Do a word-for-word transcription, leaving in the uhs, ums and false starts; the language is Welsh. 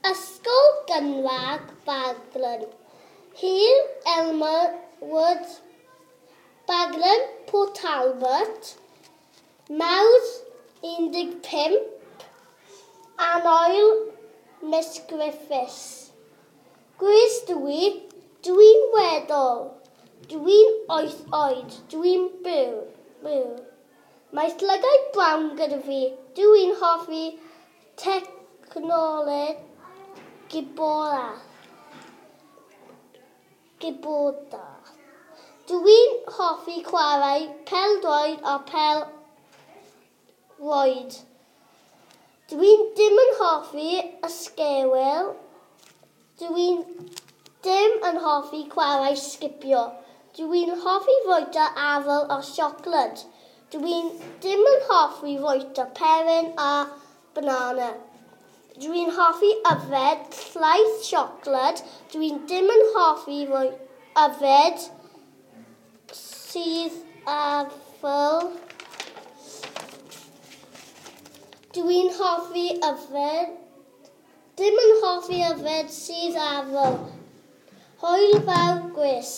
Ysgol Gynradd Baglan. Heol Elmwood, Baglan, Port Talbot, Mawrth un deg pump, Annwyl Miss Griffiths. Gwys dwi, dwi'n weddol, dwi'n wyth oed, dwi'n byw, byw. Mae llygaid brown gyda fi, dwi'n hoffi technoleg gwybodaeth. Gwybodaeth. Dwi'n hoffi chwarae pêl-droed a pêl-rwyd. Dwi'n dim yn hoffi ysgewyl. Dwi'n dim yn hoffi chwarae sgipio. Dwi'n hoffi fwyta afal a siocled. Dwi'n dim yn hoffi fwyta peryn a banana. Dwi'n hoffi yfed llaeth siocled. Dwi'n dim yn hoffi yfed sudd afal. Dwi'n hoffi yfed, dim yn hoffi yfed sudd afal. Hwyl fawr, Gwys.